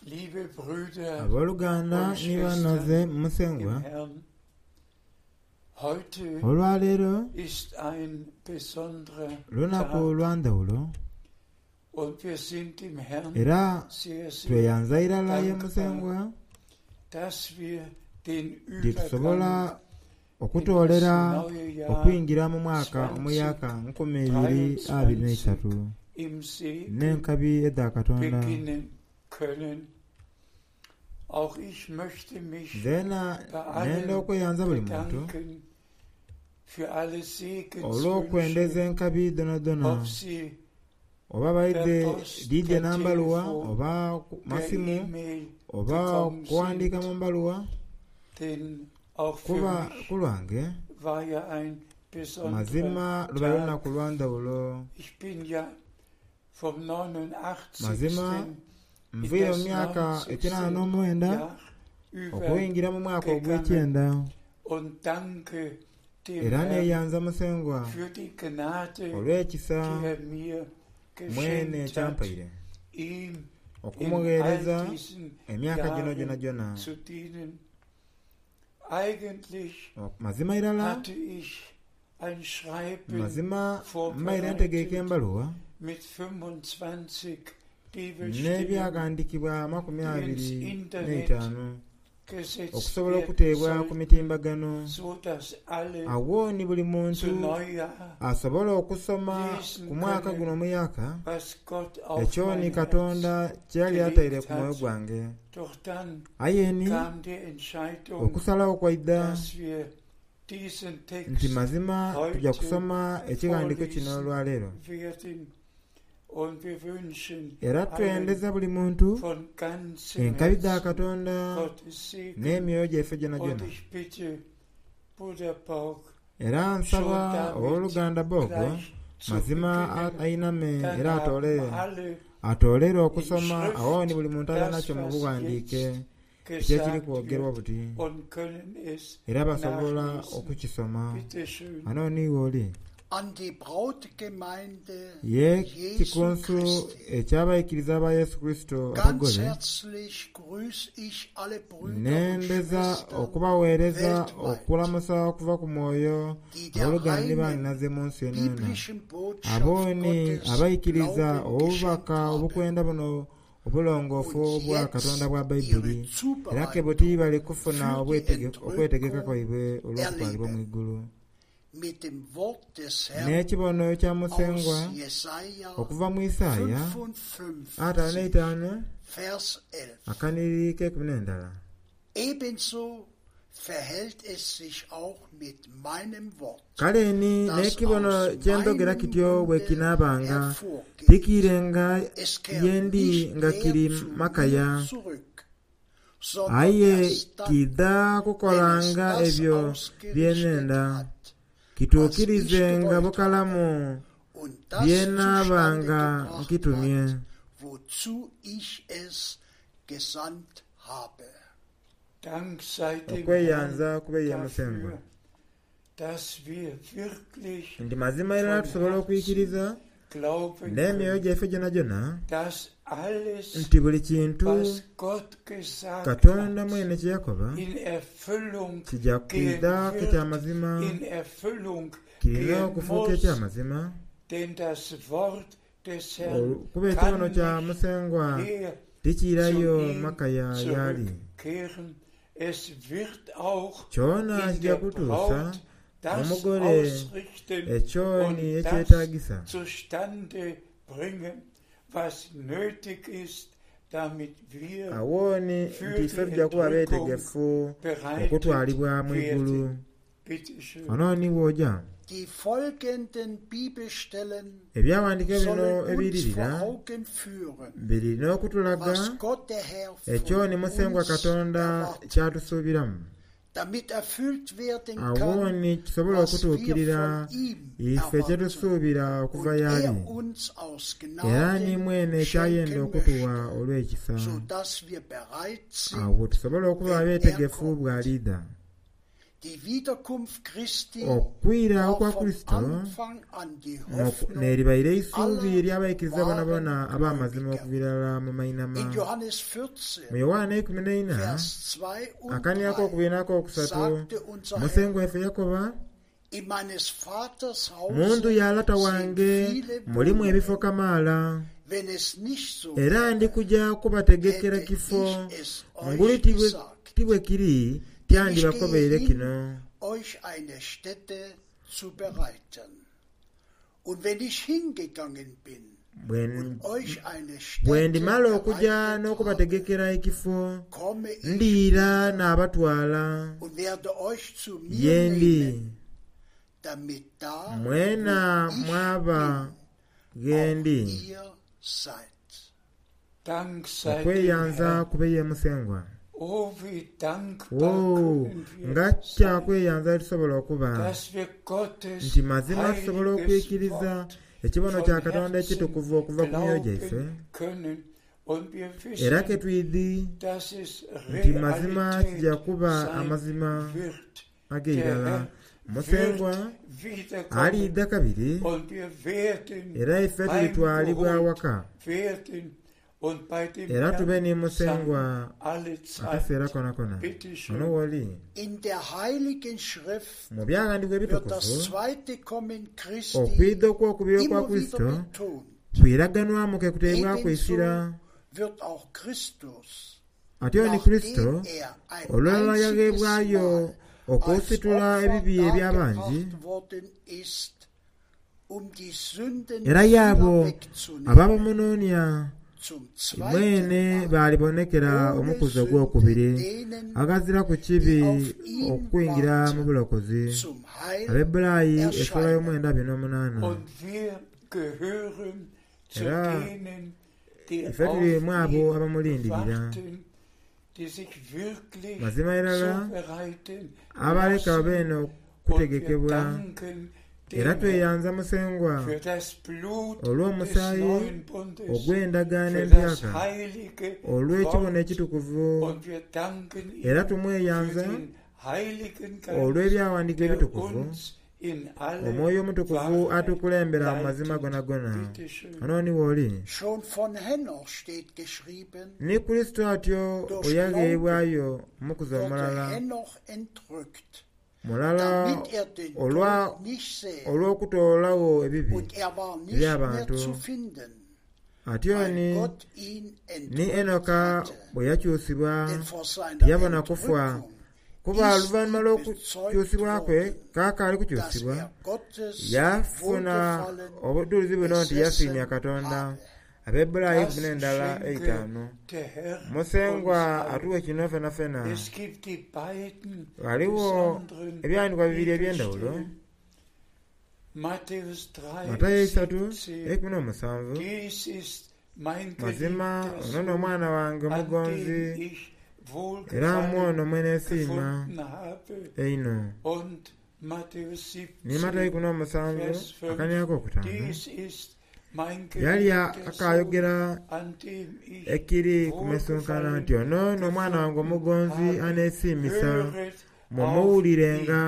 Liebe Brüder Aboluganda und ni banhaze Schwestern mu im Musengwa, Herrn, heute olwaleero ist ein besonderer lunaku Tag lwa ndhawulo und wir sind dem Herrn era sehr, sehr tweyanza irala ye dankbar, Musengwa dass wir den nti tusobola Übergang in das okutoolera neue Jahr okwingira mu mwaka omuyaka 2023 im Segen n'enkabi edha Katonda. beginnen können. Auch ich möchte mich Nzeena bei nenda allen okweyanza buli muntu bedanken für alle olw'okwendeza Segenswünsche, enkabi dhonadhona ob sie oba per baidhe Post, dhidhe per n'ambaluwa Telefon, oba per masimu E-Mail oba gekommen okuwandiika sind, mu mbaluwa denn auch für kuba mich ku lwange war ja ein besonderer mazima luba Tag. lunaku lwa ndhawulo. Ich bin ja vom 89. Mazima in nviire mu das myaka 90. ekinaana n'omwenda Jahr okuyingira mu mwaka übergegangen ogw'ekyenda und danke dem era Herrn neeyanza Musengwa für die Gnade, olw'ekisa die er mir mwene geschenkt hat, kyampaire ihm in all okumugheereza diesen emyaka gino Jahren gyonhagyona. zu dienen. Eigentlich Mazima irala hatte ich ein Schreiben mazima mbaire ntegeeka vorbereitet embaluwa mit 25 Bibelstellen, n'ebyaghandikibwa amakumi die ins abiri Internet n'eitaanu gesetzt okusobola werden okuteebwa ku sollten, mitimbagano so dass alle awo ni buli zu muntu Neujahr asobola okusoma lesen ku mwaka können, guno omuyaka was Gott auf ekyo mein ni Herz Katonda kye yali ataire gelegt ku mwoyo hat. gwange. Doch dann Aye ni kam die Entscheidung, okusalawo kwaidha dass wir diesen nti Text mazima tujja heute kusoma ekighandiiko kino vorlesen olwaleero werden. Und wir wünschen era allen twendeza buli muntu von ganzem enkabi dha Herzen Katonda Gottes Segen. n'emyoyo gyaife Und gyonagyona. ich bitte Bruder Borg Era schon nsaba damit owooluganda Bogo gleich zu mazima beginnen. ainame Dann era haben atoolere alle atoolere in okusoma awo ni Schrift buli muntu alina das, nakyo mu was buwandiike jetzt ekyo ekiri gesagt kwogerwa wird buti und können es era basobola nachlesen. okukisoma. Bitte schön. Ano niiwe oli An die Brautgemeinde ye Jesu kikunsu Christi. ekyabayikiriza ba Yesu Kristo Ganz abagole herzlich grüße ich alle Brüder und nendeza Schwestern okubaweereza weltweit, okulamusa okuva ku mwoyo die der abooluganda reinen bannaze mu nsi yonayona biblischen Botschaft abo ni Gottes abayikiriza Glauben obubaka geschenkt haben obukwenda buno obulongoofu und obwa Katonda jetzt bwa ihre Bayibuli era ke buti Zubereitung bali kufuna für die okwetegeka Entrückung kwaibwe olw'okutwalibwa mu erleben. igulu Mit dem Wort des Herrn n'ekibono kya Musengwa aus Jesaja okuva mu Isaaya 55, 55 Vers 11. akaniri k'ekumi n'endala Ebenso verhält es sich auch mit meinem Wort, kale ni das n'ekibono aus kye ndogera meinem kityo bwe Munde kinaabanga hervorgeht. tikiirenga Es kehrt ye ndi nicht nga leer kiri zu mir makaya zurück, sondern aye erst dann, kidha wenn es kukolanga das ebyo bye ausgerichtet nenda hat, was ich kituukirizenga gewollt habe bukalamu und das bye zustande naabanga gebracht nkitumye hat, wozu ich es gesandt habe. Dank sei dem Herrn okweyanza kube ye Musengwa dafür, dass wir wirklich nti mazima irala von tusobola Herzen okwikiriza glauben n'emyoyo können, gyaife gyonagyona dass alles, nti buli kintu was Gott gesagt Katonda hat, mwene kye yakoba in Erfüllung kijja gehen kwidha wird, ekyamazima in Erfüllung kirina gehen okufuuka muss, ekyamazima denn das Wort des Herrn kuba ekibono kann kya nicht Musengwa leer zu tikiirayo ihm makaya y'ali zurückkehren. Es wird auch kyona in kijja der kutuusa Braut das omugole ausrichten ekyo ni und das ekyetaagisa zustande bringen, was nötig ist, damit wir awo ni für nti ife die tujja kuba Entrückung beetegefu bereitet okutwalibwa mu igulu werden. Bitte schön. ono ni w'oja Die folgenden Bibelstellen ebyawandiiko bino sollen uns vor ebiririra Augen führen, birina okutulaga was Gott der Herr ekyo von ni Musengwa uns Katonda erwartet, kyatusuubiramu damit erfüllt werden awo kann, ni kisobola was wir okutuukirira von ihm ife kye erwarten tusuubira okuva und y'ali er uns aus era ni Gnaden mwene kyayenda schenken okutuwa möchte, olw'ekisa so dass wir bereit awo sind, tusobole okuba wenn er abeetegefu kommt. bw'alidha. Die Wiederkunft Christi Okwira war okwa von Kurisito Anfang an die Hoffnung n'eribaire eisuubi aller ery'abaikiriza bonabona wahren ab'amazima Gläubiger. okuviira ddala mu mainama. In Johannes Mu 14, Yowaana eikumi n'eina Vers 2 und akaniako 3 okubiri n'akokusatu sagte unser Herr, Musengwa waife yakoba, in meines Vaters mu ndhu Hause ya lata sind wange viele mulimu ebifo Wohnungen. kamaala Wenn es nicht so era wäre, ndi kuja kubategekera hätte kifo ich es nguli euch tibwe gesagt. tibwe kiri Denn ich gehe tyandibakobeire hin, kino. euch eine Stätte zu bereiten. Und wenn ich hingegangen bin Bwe und euch eine bwe Stätte ndimala okuja bereitet habe, n'okubategekera ekifo komme ich ndiira wieder n'abatwala und werde euch zu mir ye ndi nehmen, damit da, mwena wo ich mwaba bin, ghe auch ndi. ihr seid. Dank sei dem Okweyanza Herrn. kube ye Musengwa. Oh, wie dankbar Woo, können wir nga sein, kyakweyanza tusobola okuba dass wir Gottes nti mazima tusobola heiliges okwikiriza Wort ekibono kya von Katonda Herzen ekitukuvu okuva ku myoyo gyaife glauben können. Und wir era ke wissen, twidhi dass es nti mazima kijja Realität kuba sein amazima wird. Der ag'eirala. Herr Musengwa wird wiederkommen aliidha kabiri und wir werden era ife tulitwalibwa heimgeholt waka werden und bei dem era tube Herrn ni sein Musengwa alle akaseera Zeit. kona kona. Bitte Ono schön. w'oli In der Heiligen Schrift mu byawandiikibwa wird ebitukuvu das zweite Kommen Christi okwidha okw'okubiri okwa immer wieder Kristo betont. kwiraganwamu ke kuteebwaku essira. Ebenso wird auch Christus, Atyo ni Kristo nachdem er ein olulala einziges yagheebwayo Mal als okusitula Opfer ebibi eby'abangi dargebracht worden ist, um die Sünden era vieler y'abo wegzunehmen, ababamunoonia zum zweiten mwene Mal balibonekera ohne omukuzi Sünde ogwokubiri denen, aghazira ku kibi die auf ihn okuyingira mu warten, bulokozi. zum Heil Abebbulaayi essula erscheinen. y'omwenda abiri n'omunaana. Und wir gehören zu Era denen, die ife tuli auf mu abo ihn abamulindirira. warten, die sich wirklich Mazima irala zubereiten abaleka lassen. babe eno Und wir okutegekebwa danken era dem Herrn tweyanza Musengwa für das Blut des olw'omusaayi neuen Bundes, ogw'endagaano für das empyaka heilige olw'ekibono Wort. ekitukuvu Und wir danken era ihm für tumweyanza den Heiligen Geist, olw'ebyawandiikibwa der ebitukuvu uns in alle omwoyo omutukuvu Wahrheit atukulembera mu mazima leitet. gonagona. Bitte schön. Ono ni w'oli Schon von Henoch steht geschrieben, ni Kristo atyo durch bwe Glauben yagheebwayo omukuzi wurde omulala Henoch entrückt, mulala damit er den olwa Tod nicht sähe. olw'okutoolawo ebibi Und er war nicht mehr eby'abantu. zu finden, Atyo weil ni Gott ihn ni entrückt Enoka hatte. bwe yakyusibwa Denn vor seiner teyabona kufa Entrückung kuba ist oluvannyuma ihm bezeugt lw'okukyusibwa kwe worden, kaakaali dass kukyusibwa er Gottes yafuna Wohlgefallen obujulizi buno nti yasiimya besessen Katonda. habe. Abebbulaayi Das kumi n'endala schenke eitaano. der Herr Musengwa uns allen. atuwe kino fena fena. Es gibt die beiden Waliwo besonderen ebyawandiikibwa bibiri eby'endawulo Bibelstellen. Matthäus 3, Matayo esatu 17. ekumi n'omusanvu Dies ist mein mazima geliebter ono Sohn, n'omwana wange an omugonzi dem ich era mu Wohlgefallen ono mwe neesiima gefunden habe. eino. Und Matthäus Ni Matayo 17, ikumi n'omusanvu Vers 5. akaniako okutaano Dies ist mein yali geliebter Sohn, akaayogera an dem ich ekiri ku mesunkana Wohlgefallen nti ono n'omwana wange gefunden omugonzi habe. aneesiimisa Höret auf ihn. mumuwulirenga.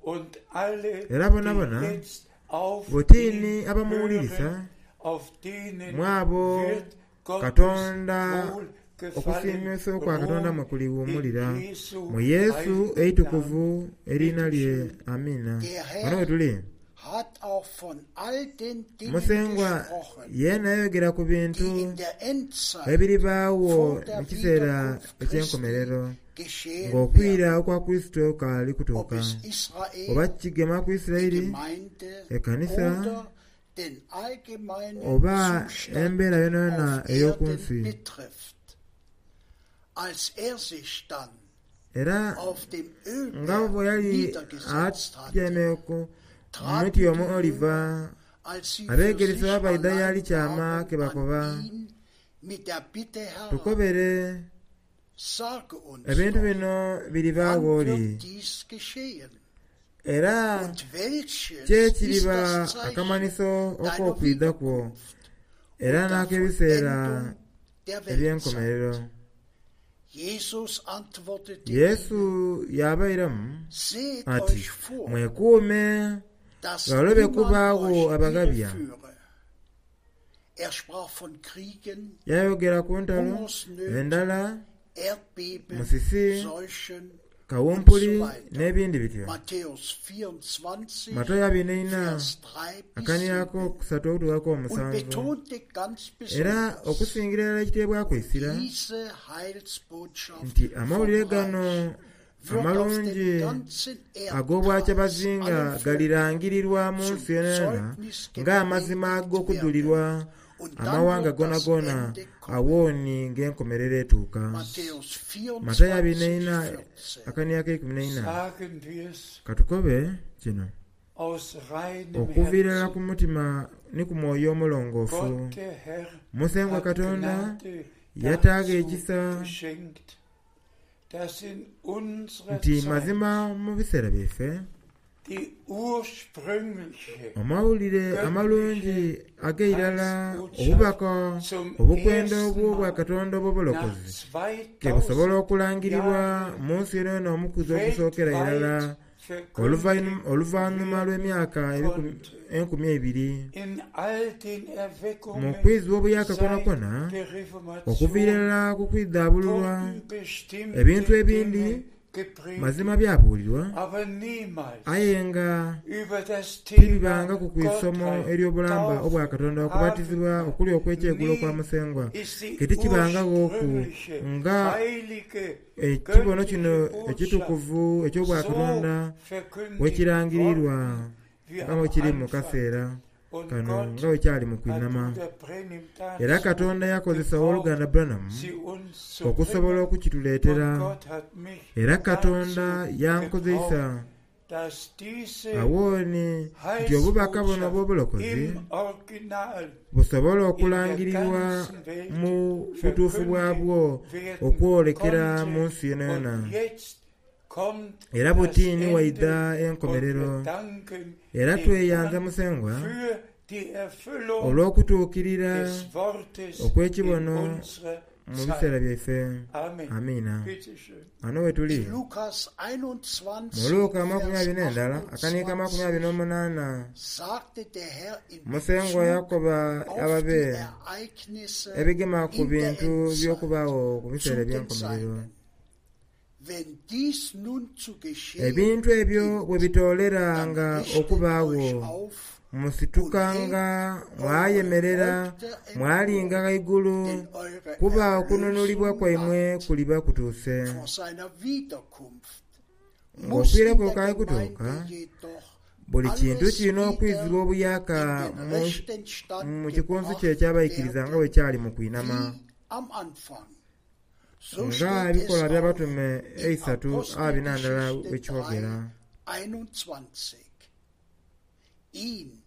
Und alle, Era bonabona die jetzt auf butiini ihn abamuwulirisa hören, auf denen mu abo wird Gottes Katonda Wohlgefallen okusiimisa okwa Katonda ruhen mwe in kuliwummulira Jesu mu Yesu heiligen eitukuvu Namen. eriina Bitte lye schön. amiina. Der Wano Herr we tuli hat auch von all den Dingen Musengwa gesprochen, yeena yayogera ku bintu die in der Endzeit ebiribaawo vor der mu kiseera Wiederkunft eky'enkomerero Christi geschehen ng'okwira werden. okwa Kristo kaali Ob kutuuka es oba Israel, kigema ku die Isirayiri Gemeinde ekkanisa oder den allgemeinen oba Zustand embeera yonayona auf ey'oku Erden nsi. betrifft. Als er sich dann Era auf dem nga Ölberg bwe yali niedergesetzt atyamye hatte, ku traten muti die omu oliva Jünger, als sie für abeegeresebwa sich baidha allein yali kyama waren, ke an bakoba ihn mit der Bitte heran, tukobere sage uns ebintu doch, bino biribaawo wann oli wird dies geschehen? era Und welches ki ist ekiriba das Zeichen akamanyiso deiner ok'okwidha kwo Wiederkunft era und der n'ak'ebiseera Vollendung der eby'enkomerero. Weltzeit? Jesus antwortete Yesu ihnen, yaabairamu Seht ati, euch vor, Mwekuume dass ghalobe niemand kubaagho euch abaghabya. irreführe. Er sprach von Kriegen, Yayogera ku ntalo, Hungersnöten, endhala, Erdbeben, musisi, Seuchen und kawumpuli so weiter. n'ebindi bityo. Matthäus 24, Matayo abiri n'eina Vers 3 bis akanirako 7 okusatu okutuukako und omusanvu. betonte ganz Era besonders okusingira irala ekiteebwaku essira diese Heilsbotschaft nti amawulire vom gano Reich wird auf amalungi dem ganzen Erdkreis ag'obwakyabazinga allen Völkern galirangirirwa mu zum nsi yonayona Zeugnis ng'amazima gepredigt ag'okudulirwa werden. Und dann amawanga wird das gonagona Ende kommen. awooni ng'enkomerero etuuka. Matthäus Matayo abiri 24, n'eina 14. akanirako eikumi n'eina. Sagen wir's Katukobe kino aus reinem okuviira ddala ku Herzen. mutima ni ku mwoyo omulongoofu. Gott, der Herr, Musengwa hat Katonda Gnade yataaga dazu ekisa geschenkt, dass in unserer nti Zeit mazima mu biseera byaife die ursprüngliche amawulire amalungi ag'eirala obubaka zum obukwenda ersten obw'obwa Mal Katonda nach obw'obulokozi ke busobola 2000 okulangirirwa Jahren mu nsi yonayona omukuzi ogusookera irala weltweit oluvannyuma verkündigt oluvannyuma lw'emyaka konnte. 2000 In all den mu Erweckungen kwizibwa obuyaka seit kwonakwo der okuviira Reformation ddala ku kwiddaabululwa wurden bestimmte ebintu ebindi Dinge gepredigt, mazima byabuulirwa aber niemals aye nga über das tibibanga Thema ku kwisomo Gottheit, ery'obulamba obwa Taufe, Katonda okubatizibwa okuli okw'ekyegulo kwa Nie Musengwa ist die ke tikibangaghoku ursprüngliche, nga heilige, ekibono kino göttliche ekitukuvu Botschaft eky'obwakatonda so verkündigt bwekirangirirwa worden wie nga am bwe kiri mu Anfang. kaseera Und kano Gott nga bwe kyali mu hat kwinama. Bruder Branham Era dazu Katonda yakozesa gebraucht, owooluganda Branham sie uns zu okusobola bringen. okukituleetera Und Gott hat mich era Katonda dazu yankozesa gebraucht, dass diese awooni nti obubaka buno Heilsbotschaft obw'obulokozi im Original busobole in der okulangirirwa ganzen Welt mu butuufu bwabwo verkündigt werden okwolekera mu konnte. nsi yonayona. Und jetzt kommt Era das buti ni Ende waidha und enkomerero wir danken era dem tweyanza Herrn Musengwa für die Erfüllung olw'okutuukirira des Wortes in okw'ekibono unserer mu Zeit. biseera byaife. Amen. Amiina. Bitte schön. Wano we tuli In Lukas mu 21, Luka amakumi Vers abiri n'endala akaniika amakumi abiri 28 n'omunaana sagte der Herr in Musengwa Bezug yakoba auf ababe die Ereignisse ebigema ku in der bintu Endzeit by'okubaawo ku biseera zu den eby'enkomerero. Seinen. Wenn dies nun zu geschehen Ebintu ebyo bwe beginnt, dann bitooleranga richtet okubaawo euch auf und musitukanga hebt eure mwayemerera Häupter mwalinga empor, ghaigulu denn eure kuba okununulibwa Erlösung kwaimwe naht. kuliba kutuuse. Vor seiner Wiederkunft muss Ng'ofiira in kwe der kwali kutuuka Gemeinde jedoch buli kintu alles kirina wieder okwizibwa obuyaka in den mu rechten Stand mu kikunsu gebracht kye ekyabayikiriza nga bwe werden kyali mu kwinama wie am Anfang. So nga steht ebikolwa es auch by'abatume in eisatu abiri n'andala Apostelgeschichte bwe kyogera. 3, 21. Ihn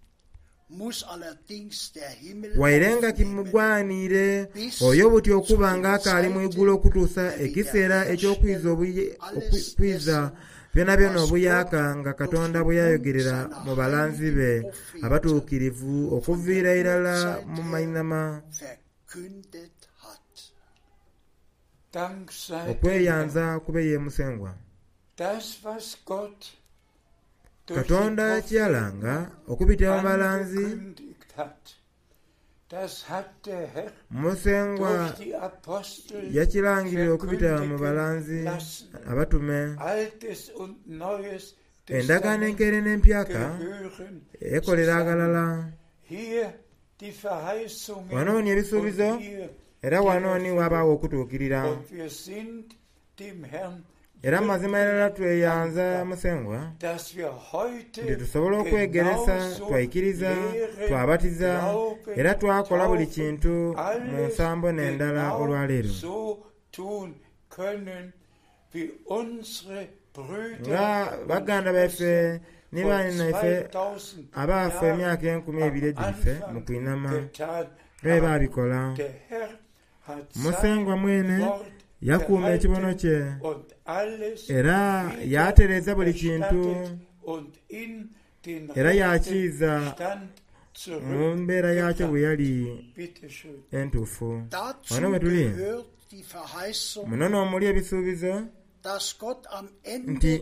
muss allerdings der Himmel Waire nga aufnehmen, kimugwaniire bis oyo buti zu okuba den ng'akaali mu igulu Zeiten okutuusa der ekiseera eky'okwiza Wiederherstellung obuye- alles okwiza dessen, byona byona was obuyaka Gott nga durch Katonda den bwe Mund yayogerera seiner mu balanzi be heiligen Propheten abatuukirivu von der okuviira irala Urzeit mu her mainama. verkündet hat. Dank sei dem Herrn. Okweyanza kube ye Musengwa. Das, was Gott durch die Katonda kye Propheten yalanga okubitira mu balanzi angekündigt hat, das hat der Herr Musengwa durch die Apostel yakirangirira okubitira mu verkündigen balanzi lassen. abatume. Altes und Neues Endagaano Testament enkeere n'empyaka gehören ekolera zusammen. aghalala. Hier die Verheißungen Wano ni ebisuubizo und hier era die wano ni Erfüllung. wabaawo okutuukirira. Und wir sind dem Herrn Era mazima wirklich irala tweyanza dankbar, Musengwa dass wir nti heute tusobole okwegeresa, genauso twaikiriza, lehren, twabatiza glauben, era twakola buli taufen, kintu mu alles nsambo n'endala genau olwaleero. so tun können, wie unsere Brüder Nga und baganda baife Schwestern ne vor bannyinaife 2000 abaafa Jahren emyaka enkumi am ebiri egiyise mu Anfang kwinama getan nga bwe haben. baabikola. Der Herr hat sein Musengwa mwene Wort yakuuma ekibono gehalten kye und alles era wieder yaatereeza buli kintu erstattet und in den era rechten yakiiza Stand mu mbeera yaakyo bwe zurückgebracht. yali Bitte schön. entuufu. Dazu Wano we tuli gehört Muno n'omuli ebisuubizo nti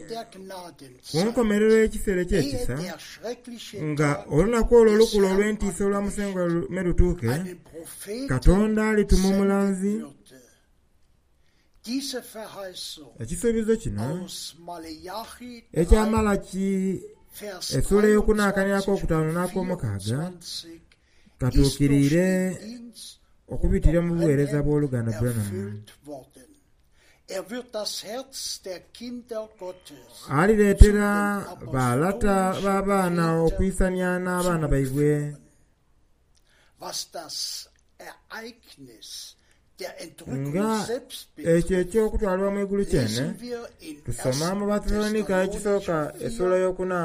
ku nkomerero y'ekiseera eky'ekisa, nga olunaku olwo olukulu olw'entiisa olwa Musengwa lume lutuuke, Katonda alituma omulanzi. Ekisuubizo kino ekya Malaki esula eyokuna akanhiriri akokutaanu n'akomukaaga katuukiriire okubitira mu bugheereza bw'oluganda Branham. Alireetera ba lata b'abaana okwisania n'abaana baibwe. Nga ekyo eky'okutwalibwa mu igulu kyene, tusoma mu Bathessalonika ekisooka esuula eyokuna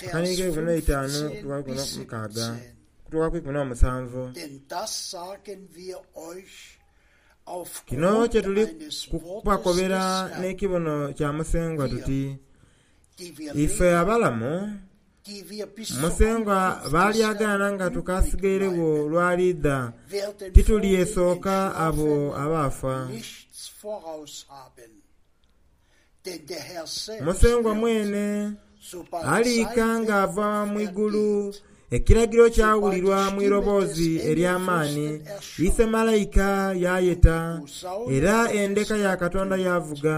akanhiriri k'eikumi n'eitaanu okutuuka ku ikumi n'omukaaga okutuuka ku ikumi n'omusanvu. Kino kye tuli kubakobera n'ekibono kya Musengwa tuti, Ife abalamu, Musengwa b'alyagaana nga tukaasigairegho lw'aliidha, titulyesooka abo abaafa. Musengwa mwene aliika ng'ava mu igulu, ekiragiro kyawulirwa mu iroboozi ery'amaani, ise malaika yaayeta, era endeka ya Katonda yaavuga.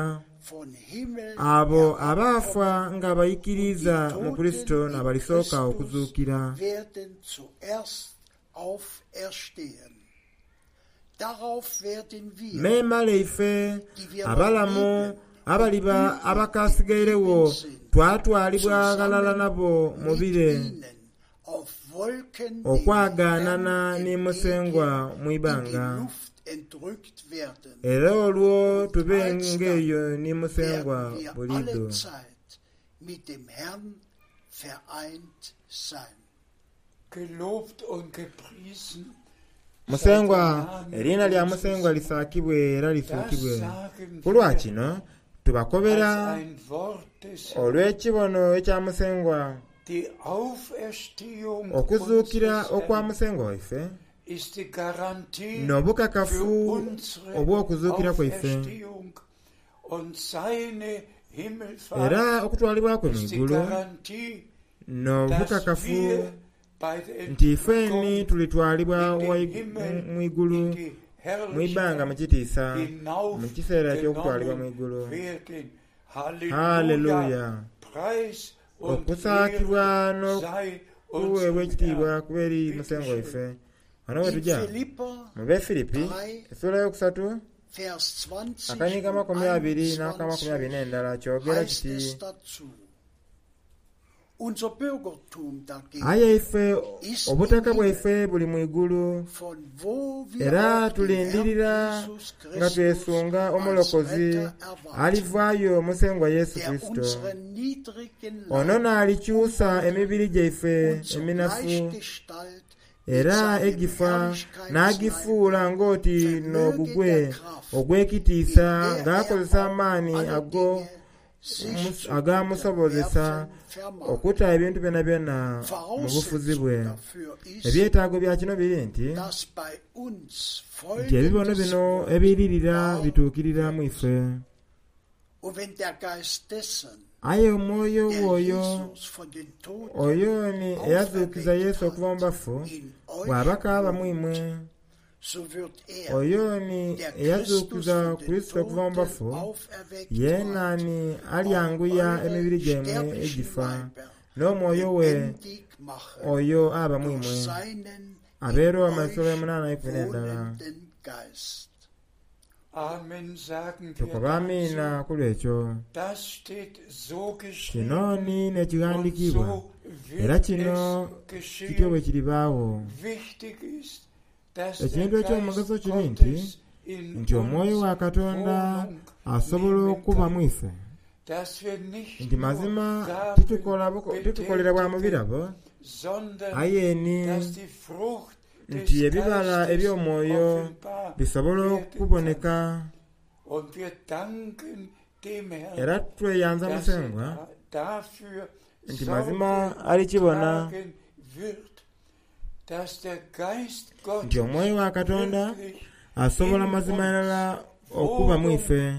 Abo abaafa nga baikiriiza mu Kurisito n'abalisooka okuzuukira. Memale ife abalamu abaliba abakaasigairegho twatwalibwa ghalala nabo mu bire, okwagaanana ni Musengwa mu ibanga. Era olwo tube ng'eyo ni Musengwa buliidho. Musengwa, eriina lya Musengwa lisaakibwe era lisuukibwe. Ku lwa kino tubakobera olw'ekibono ekya Musengwa, okuzuukira okwa Musengwa waife n'obukakafu obw'okuzuukira kwaife. Era okutwalibwa kwe mu igulu n'obukakafu nti ifeni tulitwalibwa mu igulu mu ibanga mu kitiisa mu kiseera eky'okutwalibwa mu igulu. Haleluya! Okusaakibwa n'okugheebwa ekitiibwa kube eri Musengwa waife. Ghano ghe tuja mu Befilipi esula eyokusatu akanigo 20 n'aka 21 kyogera kiti, Aye ife obutaka bwaife buli mu igulu, era tulindirira nga twesunga Omulokozi alivaayo Musengwa Yesu Kurisito. Ono n'alikyusa emibiri gyaife eminafu era egifa n'agifuula ng'oti n'ogugwe ogw'ekitiisa ng'akozesa amaani ago agaamusobozesa okuta ebintu byonabyona mu bufuzi bwe. Ebyetaago bya kino biri nti, nti ebibono bino ebiiririra bituukirira mu ife. Aye omwoyo gw'oyo oyo ni eyazuukiza Yesu okuva mu bafu bw'aba k'aba mu imwe, oyo ni eyazuukiza Kurisito okuva mu bafu, yeena ni alyanguya emibiri gyaimwe egifa n'omwoyo we oyo aba mu imwe. Ab'e Roma esula yomunaana eikumi n'endala. Tukoba amiina ku lw'ekyo. Kino ni n'ekighandikiibwa, era kino kityo bwe kiribaagho. Ekintu eky'omugaso kiri nti, nti Omwoyo wa Katonda asobola okuba mu ife, nti mazima titukolera bwa mu birabo, aye ni nti ebibala eby'omwoyo bisobola okuboneka. Era tweyanza Musengwa nti mazima alikibona nti Omwoyo wa Katonda asobola mazima irala. okuba mu ife.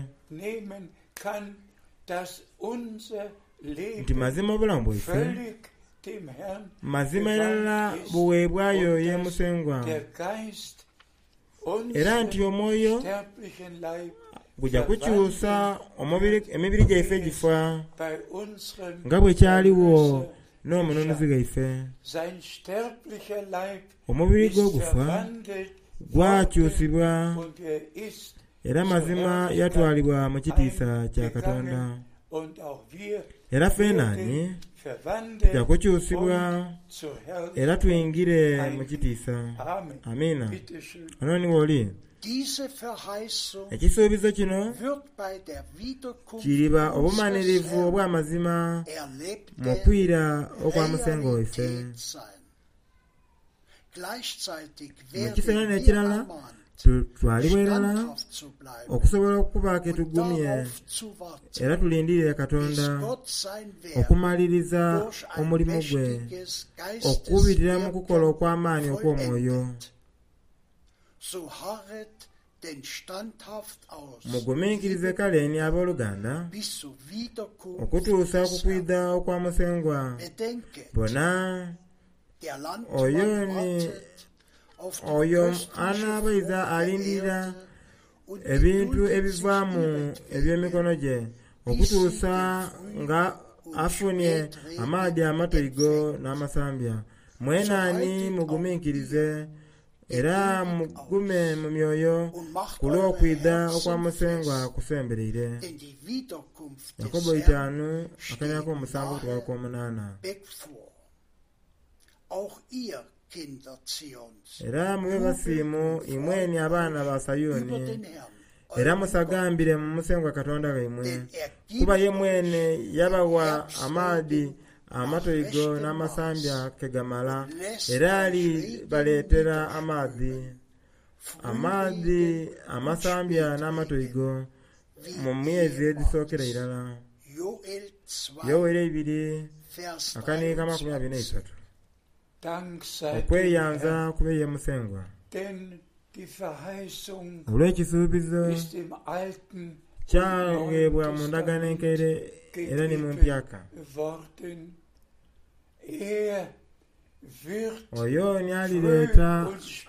Nti mazima obulamu bwaife, mazima irala bugheebwayo ye Musengwa, era nti omwoyo guja kukyusa emibiri gyaife egifa nga bwe kyaligho n'omununuzi ghaife. Omubiri gwe ogufa gwakyusibwa era mazima yatwalibwa mu kitiisa kya Katonda. Era fenani tuja kukyusibwa era twingire mu kitiisa. Amiina. Ono ni w'oli. Ekisuubizo kino kiriba obumanhirivu obw'amazima mu kwira okwa Musengwa waife. Mu kiseera n'ekirala, tutwalibwa irala okusobola okuba ke tugumye era tulindirire Katonda okumaliriza omulimu gwe okubitira mu kukola okw'amaani okw'omwoyo. Muguminkirize kale ni aboluganda, okutuusa ku kwidha okwa Musengwa. Bona, Oyo ni oyo anaabaiza alindirira ebintu ebivaamu eby'emikono gye, okutuusa nga afunie amaadhi amatoigo n'amasambya. Mwena ni muguminkirize era mugume mu myoyo, ku lw'okwidha okwa Musengwa kusembereire. Yakobo itaanu akaniina ak'omusanvu okutuuka ku k'omunaana. Era mube basiimu imweni abaana ba Sayuni, era musagambire mu Musengwa Katonda waimwe, kuba ye mwene yabagha amaadhi amatoigo n'amasambya ke gamala, era alibaleetera amaadhi, amaadhi amasambya n'amatoigo, mu myezi egisookera irala. Yoweri eibiri akaniika 23. Okweyanza kube ye Musengwa olw'ekisuubizo kyagheebwa mu Ndagaano Enkaire era ni mu Mpyaka. Oyo ni alireeta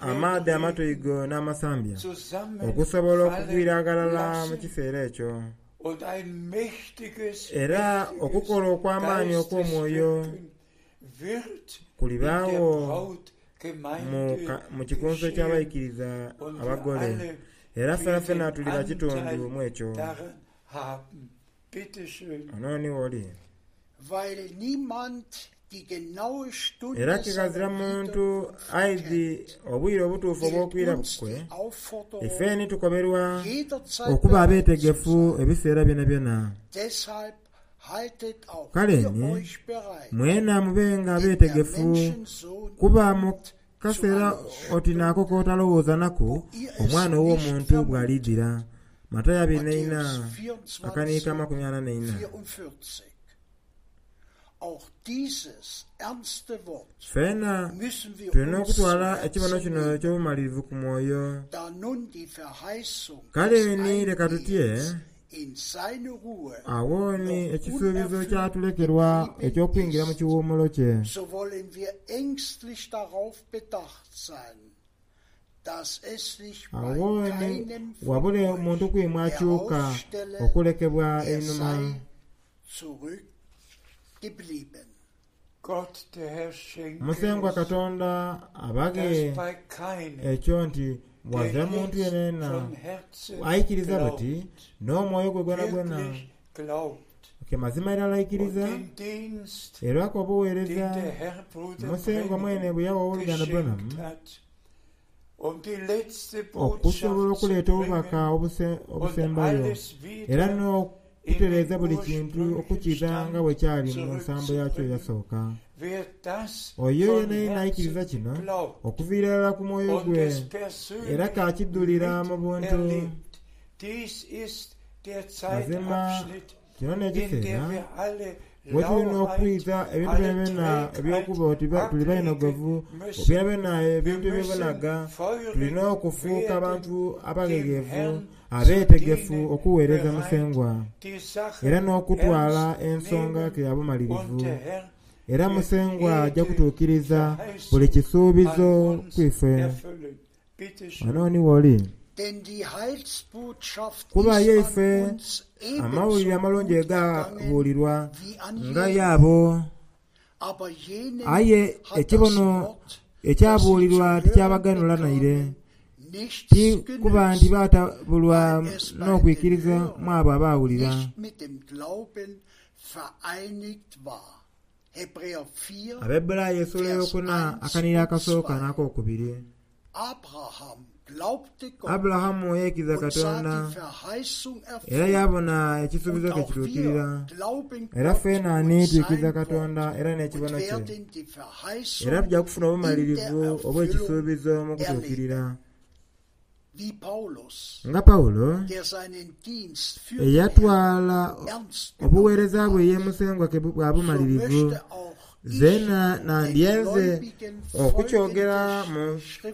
amaadhi amatoigo n'amasambya okusobola okugwira aghalala mu kiseera ekyo. Era okukola okw'amaani okw'omwoyo kulibaagho mu Kikunsu eky'Abaikiriza Abagole, era fenafena tuliba kitundu mu ekyo. Ono ni w'oli. Era kighazira muntu aidhi obwire obutuufu obw'okwira kwe, ife ni tukoberwa okuba abeetegefu ebiseera byonabyona. Kale ni, mwena mubenga beetegefu, kuba mu kaseera oti n'ako k'otalowooza naku, Omwana ow'Omuntu bw'aliidhira. Matayo abiri n'eina, akaniiko 44. Ffeena tuli n'okutwala ekibono kino eky'obumalirivu ku mwoyo. Kale ni leka tutye, agho ni ekisuubizo kyatulekerwa eky'okwingira mu kiwuumulo kye. Agho ni wabule muntu ku imwe akyuka okulekebwa einhuma. Musengwa Katonda abaghe ekyo nti ghazira muntu yenayena aikiriza buti n'omwoyo gwe gwonagwona. Ke mazima irala aikiriza, era ku obugheereza Musengwa mwene bwe yagha Owoluganda Branham okusobola okuleeta obubaka obusembayo era n'okutereeza buli kintu okukiidha nga bwe kyali mu nsambo yakyo eyasooka. Oyo yenayena aikiriza kino okuviira irala ku mwoyo gwe era k'akidhulira mu buntu. Mazima kino n'ekiseera We tulina okwita ebintu byonabyona eby'okuba oti tuli bainhogovu, byonabyona ebintu ebyobonaga, tulina okufuuka abantu abaghegheevu, abeetegefu okuweereza Musengwa, era n'okutwala ensonga ke ya bumalirivu. Era Musengwa aja kutuukiriza buli kisuubizo ku ife. Ghano ni w'oli. Kuba ye ife Amawulire Amalungi gaabuulirwa nga y'abo. Aye ekibono ekyabuulirwa tikyabaganhula naire, ti kuba nti baatabulwa n'okwikiriza mu abo abaawulira. Abaebburayi esula eyokuna akanhiriro akasooka n'akokubiri. Aburahamu yaikiriza Katonda era yaabona ekisuubizo kye kituukirira. Era feena ni twikiriza Katonda era n'ekibono kye, era tuja kufuna obumalirivu obw'ekisuubizo mu kutuukirira. Nga Paulo, eyatwala obugheereza bwe ye Musengwa ke bwa bumalirivu, zeena nandyenze okukyogera mu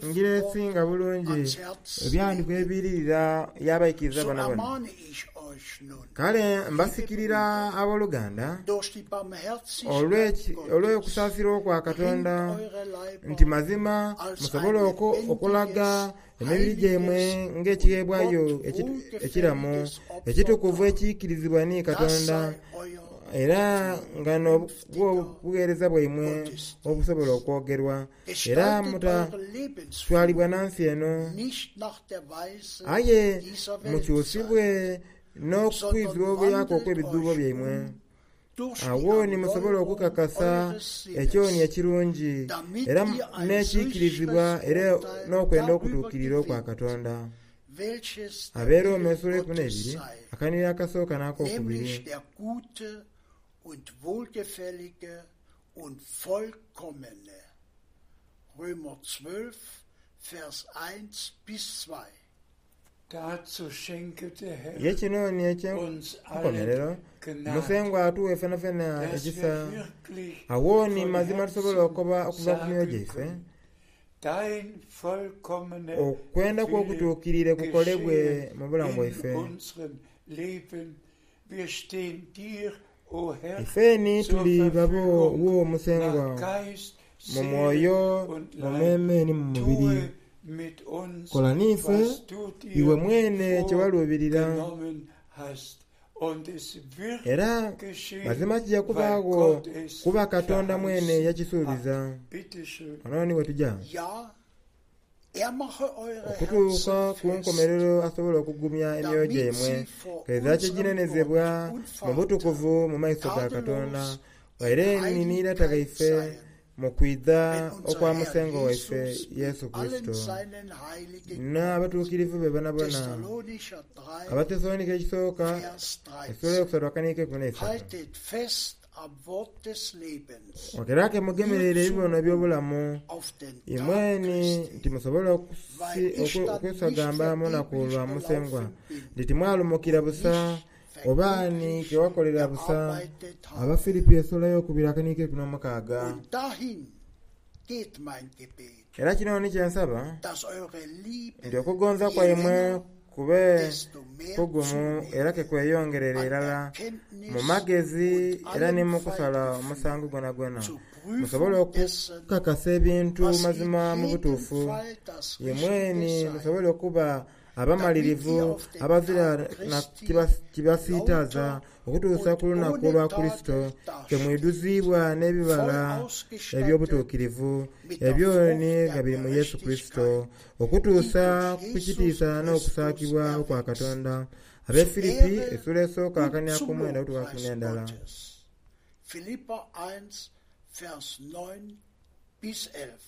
ngira esinga bulungi ebyandikwa ebiiririra y'abaikiriza bonabona. Kale mbasikirira aboluganda, olw'okusaasira okwa Katonda, nti mazima musobole okulaga emibiri gyaimwe ng'ekigheebwayo ekiramu, ekitukuvu ekiikirizibwa ni Katonda, era nga n'obugheereza bwaimwe obusobola okwogerwa. Era mutatwalibwa na nsi eno, aye mukyusibwe n'okwizibwa obuyaaka okw'ebidhuubo byaimwe. Agho ni musobole okukakasa ekyoni ekirungi era n'ekiikirizibwa era n'okwenda okutuukirira okwa Katonda. Ab'e Roma esula eikumi n'eibiri, akanhiriro akasooka n'akokubiri. Und vollkommene. Römer 12, Vers 1 bis 2. Dazu schenke der Herr Ye kino ni uns eky'enkomerero, allen Gnade, Musengwa atughe fenafena dass ekisa, wir wirklich agho ni von mazima tusobole Herzen okoba okuva ku myoyo sagen gyaife, können, Dein vollkommener Okwenda kwo Wille kutuukirire kukolebwe geschehe mu bulamu in bwaife. unserem Leben. Wir stehen dir, o Herr, Ife ni zur tuli babo Verfügung wo Musengwa nach Geist, mu Seele mwoyo, und mu Leib. meeme ni mu mubiri. Tue mit uns, Kola n'ife was du iwe dir mwene kye waluubirira. vorgenommen hast. Und es wird Era geschehen, mazima kija weil kubaagho Gott es kuba Katonda mwene verheißen hat. yakisuubiza. Bitte schön. Ghano ni wetuja. Ja, er mache eure Okutuuka Herzen ku fest, nkomerero asobole okugumya emyoyo damit gyaimwe, sie vor kaidha unserem kiginenezebwa Gott mu und Vater butukuvu mu maiso ga Katonda, tadellos waire in ni ni Lata Heiligkeit ghaife seien, mu kwidha wenn unser okwa Herr Musengwa waife Jesus mit Yesu allen Kurisito seinen Heiligen kommt. n'abatuukirivu be bonabona. Thessalonicher 3, Abathesalonika ekisooka Vers esula 13. eyokusatu akaniiko eikumi n'eisatu. Haltet fest am Wort des Lebens, Era ke mugemerere nur zu ebibono gut eby'obulamu, auf den Tag imweni Christi, nti musobole weil ich dann nicht okwesagamba mu lunaku vergeblich lwa Musengwa, gelaufen bin nti timwalumukira und busa, nicht oba ni vergeblich ke wakolera busa. gearbeitet habe. Abafilipi esula eyokubiri akaniiko eikumi n'omukaaga. Und dahin geht mein Gebet, Era kino ni kye nsaba, dass eure nti Liebe okugonza je kwaimwe länger, kube desto mehr kugumu zunehme era ke kweyongerere an irala mu Erkenntnis magezi und era ni allem mu kusala Feingefühl omusango gwonagwona, zur musobole Prüfung dessen, okukakasa ebintu was in mazima mu jedem butuufu. Fall das Imweni Richtige sei, musobole okuba damit ihr abamalirivu auf den abazira Tag na Christi kibasiitaaza lauter okutuusa und ku lunaku ohne lwa Kurisito, Tadel ke dasteht, mwidhuziibwa voll n'ebibala ausgestattet eby'obutuukirivu mit der ebyo Frucht ni der nga biri mu Yesu Kurisito, Gerechtigkeit, die okutuusa durch ku Jesus kitiisa Christus n'okusaakibwa okwa erwächst, Katonda. Ab'e zur Filipi Ehre esula esooka und akania zum ku mwenda okutuuka ku Lobpreis n'endala. Gottes. Philipper 1, Vers 9 bis 11.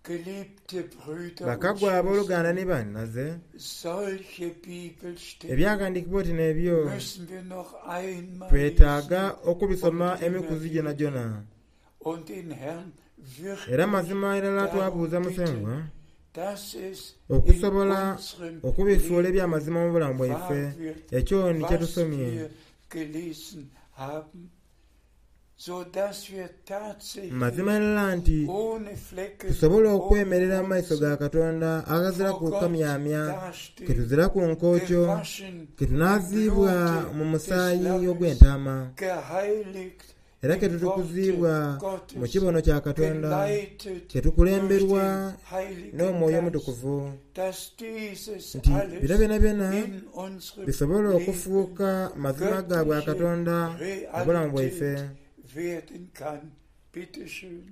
Geliebte Brüder und Bakagwa abooluganda ni Schwestern, bannaze, solche Bibelstellen ebyaghandiikibwa oti n'ebyo müssen wir noch einmal twetaaga lesen okubisoma und immer emikuzi wieder gyonagyona. und den Herrn Era wirklich mazima irala darum twabuuza Musengwa bitten, dass es in okusobola unserem okubifuula Leben eby'amazima mu bulamu bwaife wahr wird, ekyo ni kye was tusomye. wir gelesen haben. Mazima irala nti tusobola okwemerera mu maiso ga Katonda aghaziraku kamyamya, ke tuziraku nkookyo, ke tunaaziibwa mu musaayi ogw'entaama, era ke tutukuziibwa mu kibono kya Katonda, ke tukulemberwa n'Omwoyo Omutukuvu, nti bino byonabyona bisobole okufuuka mazima ga bwakatonda mu bulamu bwaife.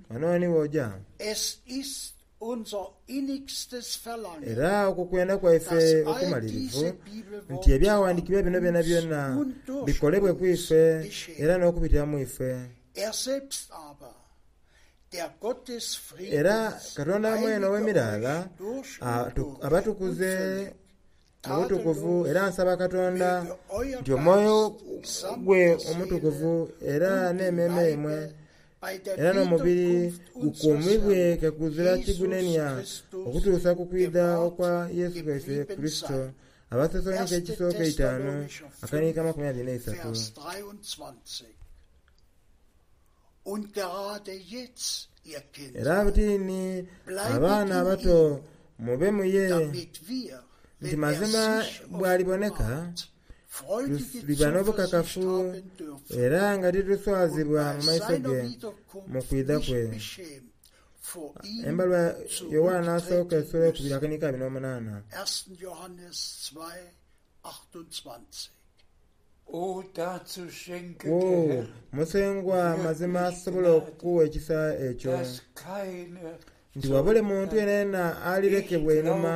Ghano ni w'oja. Era okwo kwenda kwaife okumalirivu, nti Ebyaghandiikibwa bino byonabyona bikolebwe ku ife era n'okubitira mu ife. Era Katonda mwene ow'emiraala abatukuze mu butukuvu, era nsaba Katonda nti Omwoyo gwe Omutukuvu era n'emmeeme yaimwe era n'omubiri gukuumibwe ke kuzira kigunenia okutuusa ku kwidha okwa Yesu waife Kurisito. Abathesalonika ekisooka eitaanu akaniika 23. Era buti ni abaana abato, mube mu ye, nti mazima bw'aliboneka, tuliba n'obukakafu era nga tituswazibwa mu maiso ge mu kwidha kwe. Embaluwa Yoanna Asooka esula eyokubiri akaniiko 28. Wo Musengwa mazima asobola okukugha ekisa ekyo, nti wabule muntu yenayena alirekebwa einhuma.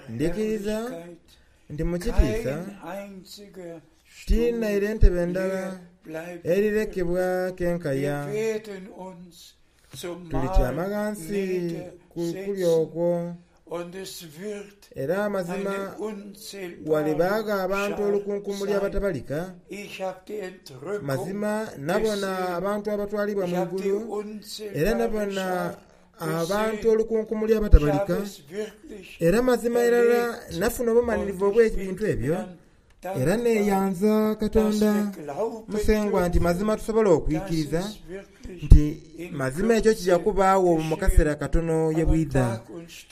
Ndhikiriza nti mu kitiisa ti naire ntebe ndala erirekebwa kenkaya. Tulityama ghansi ku kulya okwo. Era amazima ghalibaagho abantu olukunkumuli abatabalika. Mazima nabona abantu abatwalibwa mu igulu, era nabona abantu olukunkumuli abatabalika. Era mazima irala nafuna obumalirivu obw'ebintu ebyo. Era neeyanza Katonda Musengwa nti mazima tusobola okwikiriza nti mazima ekyo kija kubaagho mu kaseera katono ye bwidha.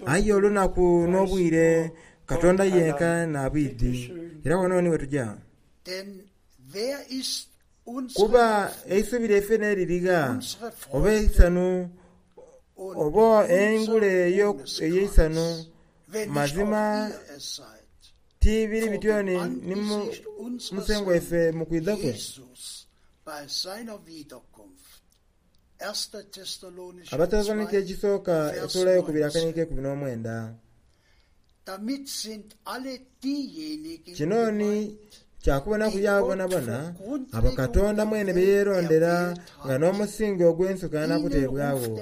Aye olunaku n'obwire Katonda yenka n'abwidhi. Era wano ni wetuja. Kuba eisubi lyaife n'eriri gha, oba eisanhu, oba engule ey'eisanhu, mazima Ti biri bityo ni Musengwa waife mu kwidha kwe? Abathesalonika ekisooka esuula eyokubiri akaniiko eikumi n'omwenda. Kino ni kya kubonaku y'abo bonabona abo Katonda mwene be yeerondera nga n'omusingi ogw'ensi gukaana kuteebwagho.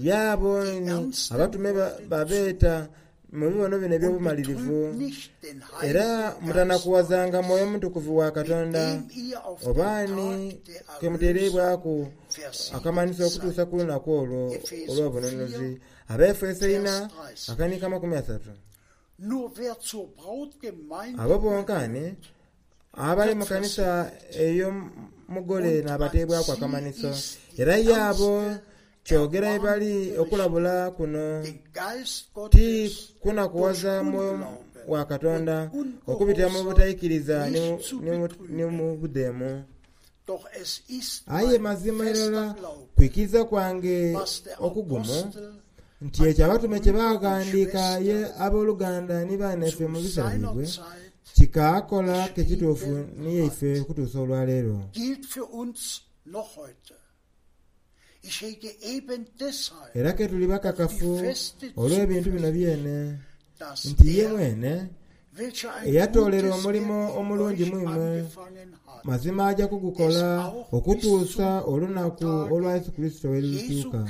Y'abo ni abatume babeeta Mu bibono bino eby'obumalirivu, era mutanakughazanga Mwoyo Mutukuvu wa Katonda, oba ni ke muteereibwaku akamanhiso okutuusa ku lunaku olwo olw'obununuzi. Abaefeso ina, akaniiko 30. Abo bonka ni abali mu kanisa ey'omugole n'abateebwaku akamanhiso, era ye abo Kyogera ye bali okulabula kuno ti kunakughaza Mwoyo wa Katonda okubitira mu butaikiriza ni mu budheemu. Aye mazima irala kwikiriza kwange okugumu nti ekyo Abatume kye baaghandiika ye aboluganda ni banaife mu biseera byaibwe kikaakola ke kituufu ni ye ife okutuusa olwaleero. Era ke tuli bakakafu olw'ebintu bino byene, nti ye mwene eyatoolera omulimo omulungi mu imwe, mazima aja kugukola okutuusa olunaku olwa Yesu Kurisito lwe lulituuka.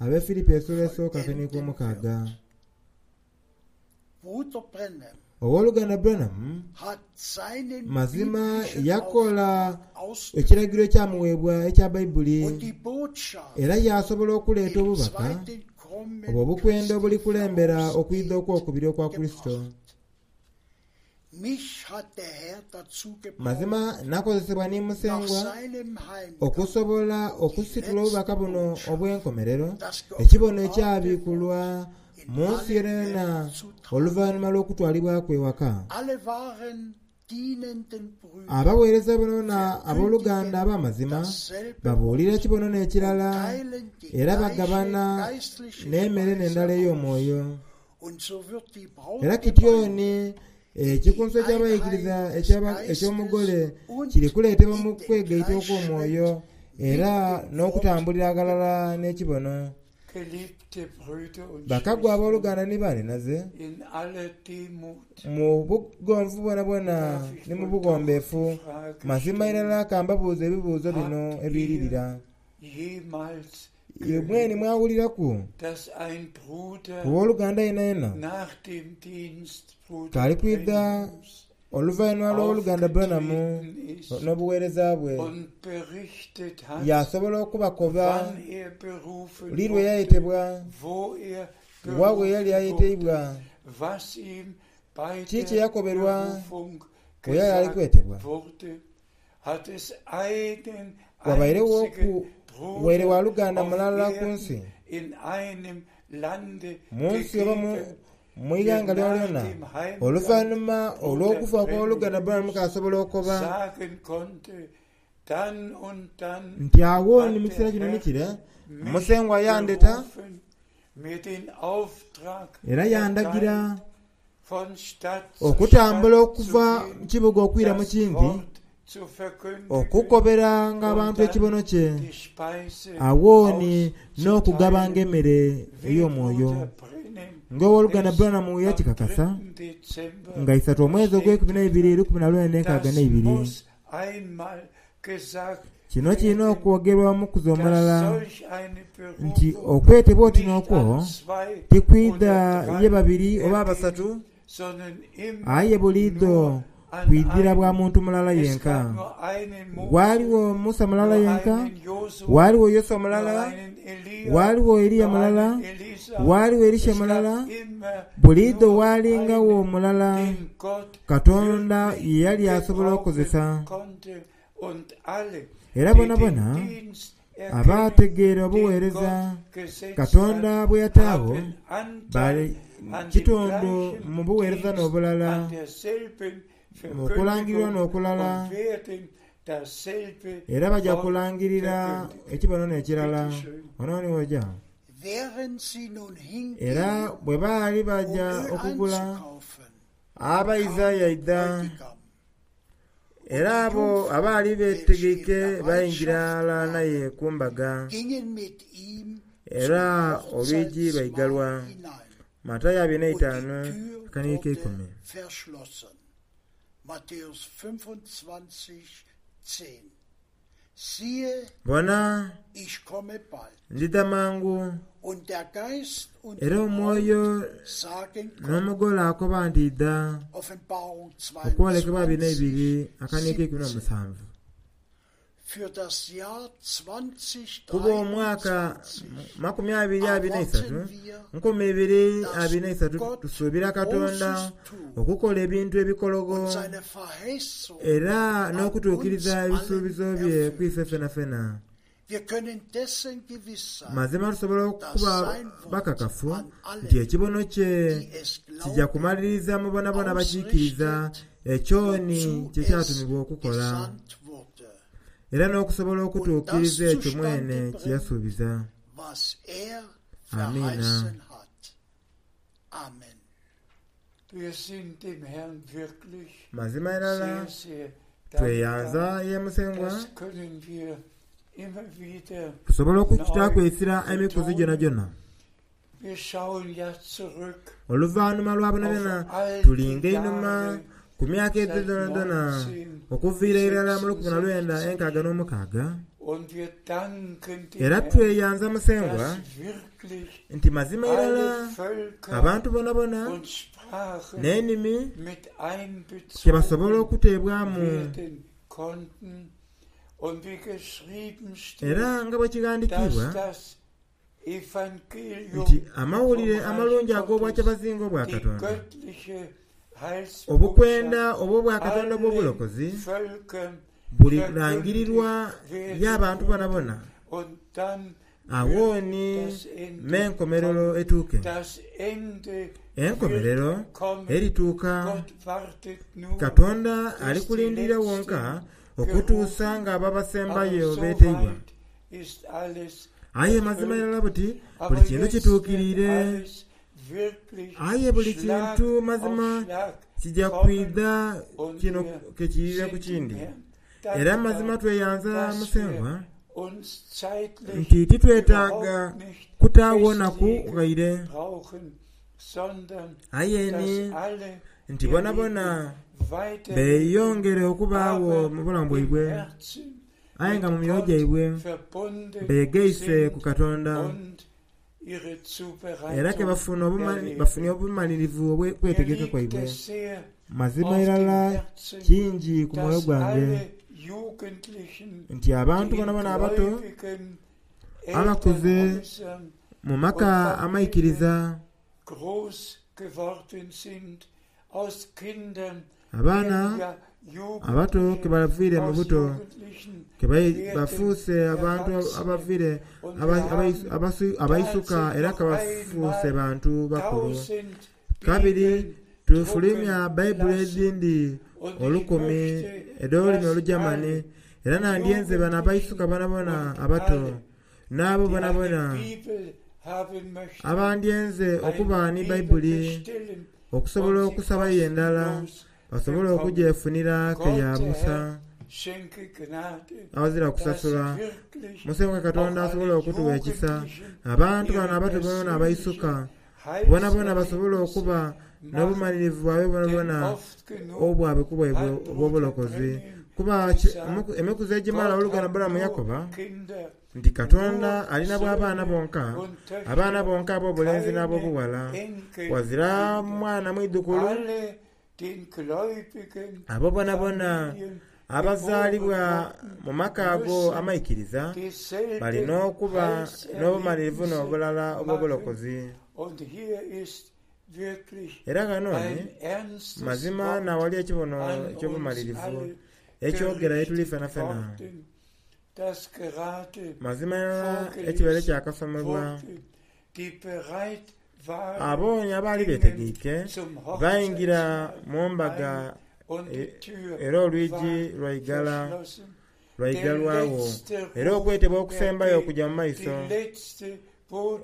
Ab'e Filipi esula esooka akaniiko omukaaga. Ow'oluganda Branham mazima yakola ekiragiro ekyamuweebwa ekya Baibuli era yaasobola okuleeta obubaka obwo obukwenda obulikulembera okwidha okw'okubiri okwa Kurisito. Mazima nakozesebwa ni Musengwa okusobola okusitula obubaka buno obw'enkomerero, ekibono ekyabikulwa mu nsi yonayona oluvainhuma lw'okutwalibwa kwe ewaka. Abaweereza bonabona aboluganda ab'amazima babuulira ekibono n'ekirala era bagabana n'emere n'endala ey'omwoyo. Era kityo ni ekikunsu eky'abaikiriza eky'omugole kiri kuleetebwa mu kwegaita okw'omwoyo era n'okutambulira aghalala n'ekibono. Bakagwa aboluganda ni banhinaze, mu bugonvu bwonabwona ni mu bughombeefu, mazima irala ka mbabuuze ebibuuzo bino ebiiririra. Imwe ni mwawuliraku ku woluganda yenayena k'ali kwidha oluvainhuma lw'Owoluganda Branham n'obuweereza bwe, yaasobola okubakoba li lwe yayetebwa, wa we yali ayeteibwa, ki kye yakoberwa bwe yali ali kwetebwa? Wabaireghoku waire waluganda mulala ku nsi, mu nsi oba mu ighanga lyonalyona, oluvainhuma olw'okufa okw'Owoluganda Branham k'asobola okoba nti agho ni mu kiseera kino ni kire, Musengwa yandheta era yandagira Okutambula okuva mu kibuga okwira mu kindi, okukoberanga abantu ekibono kye, agho ni n'okugabanga emere ey'omwoyo. Ng'Owoluganda Branham yakikakasa, nga isatu omwezi ogweikumi n'eibiri lukumi na lwenda enkaaga n'eibiri. Kino kirina okwogerwa omukuzi omulala nti okwetebwa oti n'okwo tikwidha ye babiri oba abasatu, aye buliidho kwidhira bwa muntu mulala yenka. Ghaligho Musa mulala yenka, ghaligho Yoshua mulala, ghaligho Eliya mulala, ghaligho Elisha mulala, buliidho ghalingagho mulala Katonda ye yali asobola okukozesa. Era bonabona abaategeera obuweereza Katonda bwe yataagho bali kitundu mu buweereza n'obulala, mu kulangirirwa n'okulala, era baja kulangirira ekibono n'ekirala. Ono ni w'oja. Era bwe baali baja okugula, Abaidha yaidha. Era abo abaali beetegeike baingira ghalala naye ku mbaga, era olwigi lwaigalwa. Matayo abiri n'eitaanu akanigo keikumi. Bona, ndidha mangu. Era Omwoyo n'omugole akoba nti, Idha. Okwolekebwa 22 akaniiko eikumi n'omusanvu. Kuba omwaka 2023, 2023 tusuubira Katonda okukola ebintu ebikologho era n'okutuukiriza ebisuubizo bye ku ife fenafena. Mazima tusobola okuba bakakafu nti ekibono kye kija kumaliriza mu bonabona abakiikiriza ekyo ni kye kyatumibwa okukola, era n'okusobola okutuukiriza ekyo mwene kye yasuubiza. Amiina. Mazima irala tweyanza ye Musengwa, tusobola okukitaaku eisira emikuzi gyonagyona. Oluvanhuma lwa byonabyona tulinga einhuma ku myaka egyo dhoonadhoona okuviira irala mu 1966, era tweyanza Musengwa nti mazima irala abantu boonaboona n'enimi kye basobola okuteebwamu. Era nga bwe kighandikiibwa nti Amawulire Amalungi ag'Obwakyabazinga obwa Katonda Obukwenda obw'Obwakatonda obw'obulokozi bulilangirirwa y'abantu bonabona, agho ni m'enkomerero etuuke. Enkomerero erituuka. Katonda ali kulindirira wonka okutuusa ng'ababasembayo beeteibwa. Aye mazima irala buti buli kintu kituukiriire. Aye buli kintu mazima kija kwidha kino ke kiirira ku kindi. Era mazima tweyanza Musengwa nti titwetaaga kutaagho naku ghaire, aye ni nti bonabona beeyongere okubaagho mu bulamu bwaibwe, aye nga mu myoyo gyaibwe beegaise ku Katonda. Era ke bafunye obumalirivu obw'okwetegeka kwaibwe. Mazima irala kingi ku mwoyo gwange nti abantu bonabona abato, abakuze mu maka amaikiriza, Abaana abato ke baviire mu buto ke bafuuse abantu abaviire abaisuka era ke bafuuse bantu bakulu. Kabiri tufulwimya Baibuli edhindi olukumi edh'olulimi Olugyamani era nandyenze bano abaisuka bonabona abato n'abo bonabona abandyenze okuba ni Baibuli okusobola okusabayo endala basobole okugyefunira ke ya busa aghazira kusasula. Musengwa Katonda asobole okutuwa ekisa, abantu bano abato bonabona abaisuka bonabona basobole okuba n'obumalirivu bwaibwe bwonabwona obwabwe ku bwaibwe obw'obulokozi. Kuba emikuzi egimala oluganda Balamu yakoba nti Katonda alina bwa baana bonka, abaana bonka ab'obulenzi n'ab'obughala. Ghazira mwana mwidhukulu. Abo bonabona abazaalibwa mu maka ago amaikiriza bali n'okuba n'obumalirivu n'obulala obw'obulokozi. Era ghano ni mazima n'awali ekibono eky'obumalirivu ekyogera ye tuli fenafena. Mazima irala ekibaire kyakasomebwa. Abo ni abaali beetegeike baingira mu mbaga era olwigi lwaigala lwaigalwagho. Era okwetebwa okusembayo kuja mu maiso.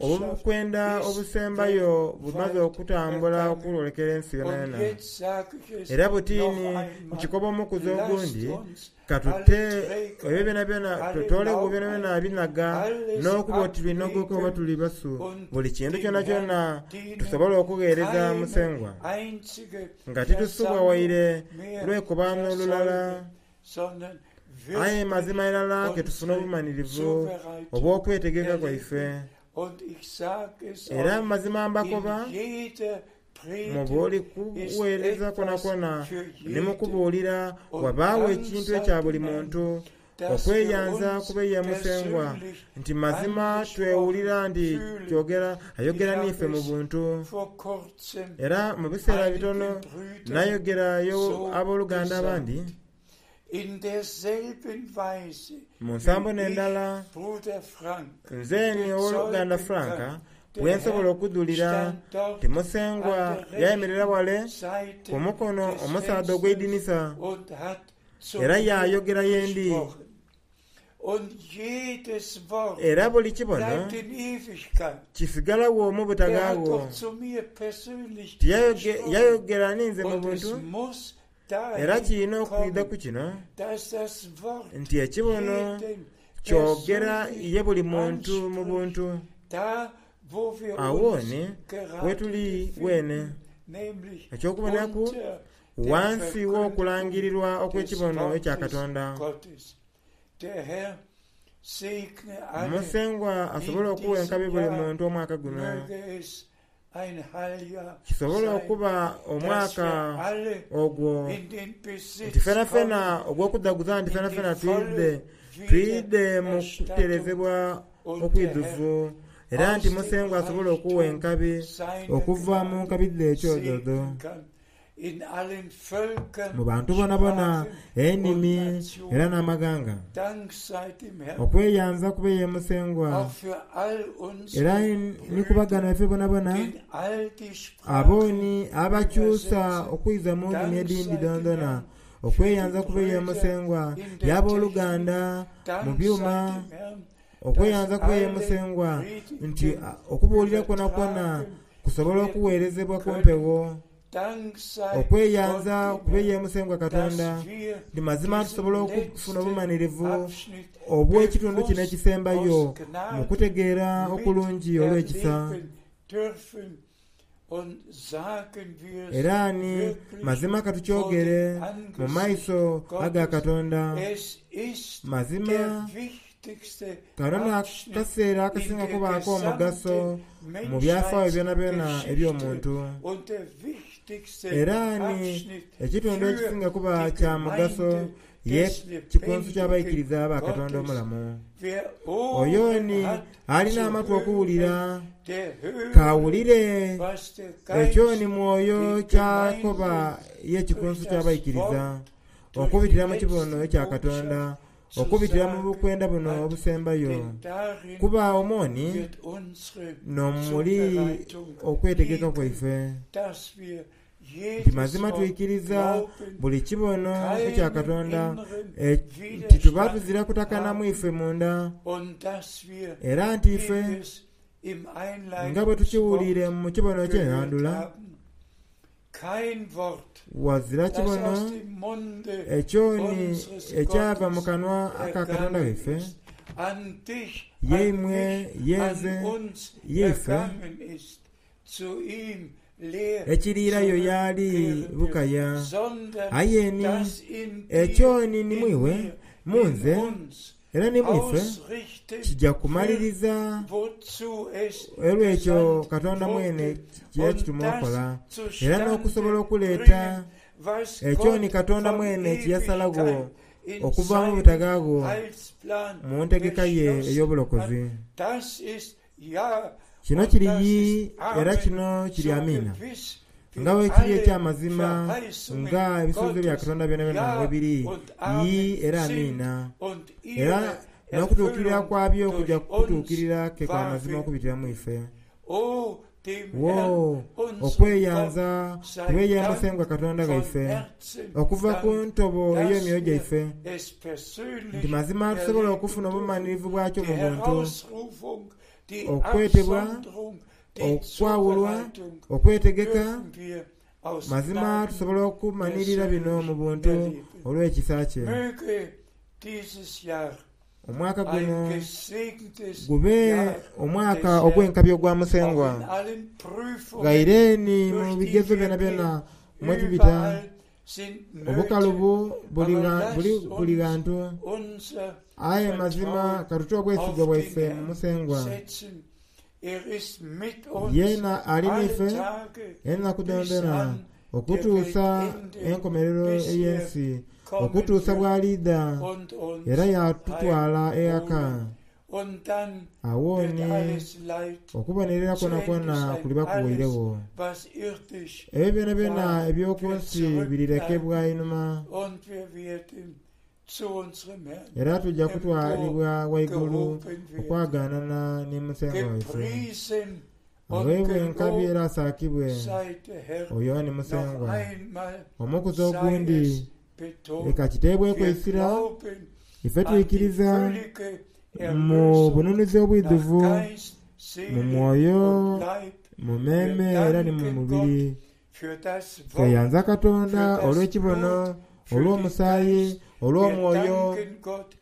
Obukwenda obusembayo bumaze okutambula okwolekera ensi yonayona. Era buti ni nkikoba omukuzi ogundi, ka tute ebyo byonabyona, tutoolegho byonabyona ebinaga n'okuba oti twinogoka oba tuli basu, buli kintu kyonakyona tusobole okugheereza Musengwa nga titusubwa waire lwekobaano lulala. Aye mazima irala ke tufuna obumanhirivu obw'okwetegeka kwaife. Era mazima mbakoba, mu buli kugheereza kwonakwona ni mu kubuulira, wabaagho ekintu ekya buli muntu okweyanza kube ye Musengwa, nti mazima twewulira nti kyogera ayogera n'ife mu buntu. Era mu biseera bitono nayogera y'aboluganda abandi. Mu nsambo n'endala, nze ni owoluganda Frank bwe nsobola okudhulira nti Musengwa yayemerera wale ku mukono omusaadha ogw'eidinisa era yaayogera ye ndi. Era buli kibono kisigalagho mu butaghaagho. Tiyayogera ninze mu buntu, era kirina okwidha ku kino nti ekibono kyogera ye buli muntu mu buntu. Agho ni wetuli weene. Eky'okubonaku ghansi w'okulangirirwa okw'ekibono ekya Katonda. Musengwa asobole okuwa enkabi buli muntu omwaka guno. Kisobole okuba omwaka ogwo nti fenafena ogw'okudhaguza nti fenafena twidhe twidhe mu kuterezebwa okwidhuvu, era nti Musengwa asobole okuwa enkabi okuva mu nkabi dhe ekyodhodho. Mu bantu bonabona, enimi era n'amaghanga. Okweyanza kube ye Musengwa era ni ku baganda baife bonabona abo ni abakyusa okwiza mu nnimi edhindi dhoonadhoona. Okweyanza kube ye Musengwa y'aboluganda mu byuma. Okweyanza kube ye Musengwa nti okubuulira kwonakwona kusobola okugheerezebwa ku mpegho. Okweyanza kube ye Musengwa Katonda nti mazima tusobola okufuna obumanhirivu obw'ekitundu kino ekisembayo mu kutegeera okulungi olw'ekisa. Era ni mazima ka tukyogere mu maiso aga Katonda, mazima kano n'akaseera akasinga kubaaku omugaso mu byafaayo byonabyona eby'omuntu. Era ni ekitundu ekisinga kuba kya mugaso Ye kikunsu ky'abaikiriza ba Katonda omulamu. Oyo ni ali n'amatu okuwulira, k'awulire ekyo ni Mwoyo ky'akoba ye kikunsu ky'abaikiriza, okubitira mu kibono ekya Katonda, okubitira mu bukwenda buno obusembayo. Kuba omwo ni n'omuli okwetegeka kwaife. Nti mazima twikiriza buli kibono ekya Katonda, nti tuba tuzira kutakana mu ife munda, era nti ife, nga bwe tukiwuliire mu kibono eky'enhandhula, ghazira kibono ekyoni ekyava mu kanwa aka Katonda waife, ye imwe, ye nze, ye ife. Ekiriirayo yaali bukaya. Aye ni, ekyo ni ni mu iwe, mu nze, era ni mu ife, kija kumaliriza olw'ekyo Katonda mwene kye yakituma okola, era n'okusobola okuleeta ekyo ni Katonda mwene kye yasalagho okuva mu butaghaagho mu ntegeka ye ey'obulokozi. Kino kiri yii era kino kiri amiina, nga bwe kiri eky'amazima nga ebisuubizo bya Katonda byonabyona bwe biri yii era amiina. Era n'okutuukirira kwabyo kuja kutuukirira ke kwa mazima okubitira mu ife. Woo, okweyanza kube ye Musengwa Katonda ghaife, okuva ku ntobo ey'emyoyo gyaife, nti mazima tusobola okufuna obumanhirivu bwakyo mu buntu, okwetebwa, okwawulwa, okwetegeka, mazima tusobola okumanhirira bino mu buntu olw'ekisa kye. Omwaka guno gube omwaka ogw'enkabi ogwa Musengwa. Ghaire ni mu bigezo byonabyona mwe tubita, obukalubu buli buli ghantu, aye mazima ka tute obwesigwa bwaife mu Musengwa. Yeena ali n'ife enaku dhoonadhoona okutuusa enkomerero ey'ensi, okutuusa bw'aliidha era yaatutwala eghaka. Agho ni okubonerera kwonakwona kuliba kuwoiregho. Ebyo byonabyona eby'oku nsi birirekebwa inhuma. Era tuja kutwalibwa ghaigulu okwagaanana ni Musengwa waife. Agheebwe enkabi era asaakibwe oyo ni Musengwa. Omukuzi ogundi leka kiteebweku eisira, ife twikiriza mu bununuzi obwidhuvu, mu mwoyo, mu meeme era ni mu mubiri. Tweyanza Katonda olw'ekibono, olw'omusaayi, olw'omwoyo.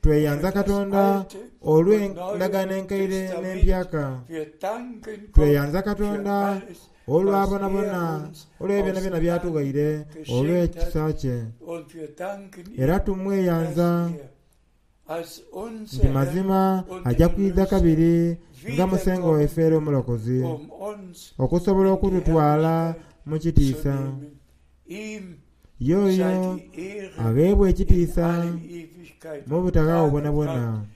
Tweyanza Katonda olw'endagaano enkaire n'empyaka. Tweyanza Katonda olwa bonabona, olw'ebyo byonabyona by'atughaire olw'ekisa kye. Era tumweyanza nti mazima aja kwidha kabiri nga Musengwa waife era Omulokozi, okusobola okututwala mu kitiisa. Y'oyo agheebwa ekitiisa mu butaghagho bwonabwona.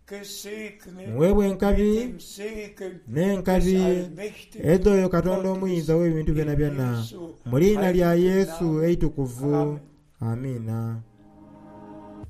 Gesegnet Muweebwe enkabi mit dem Segen des n'enkabi allmächtigen edh'oyo Katonda Gottes Omuyinza w'ebintu in byonabyona, Jesu mu liina lya heiligen Yesu Namen. eitukuvu. Amen. Amiina.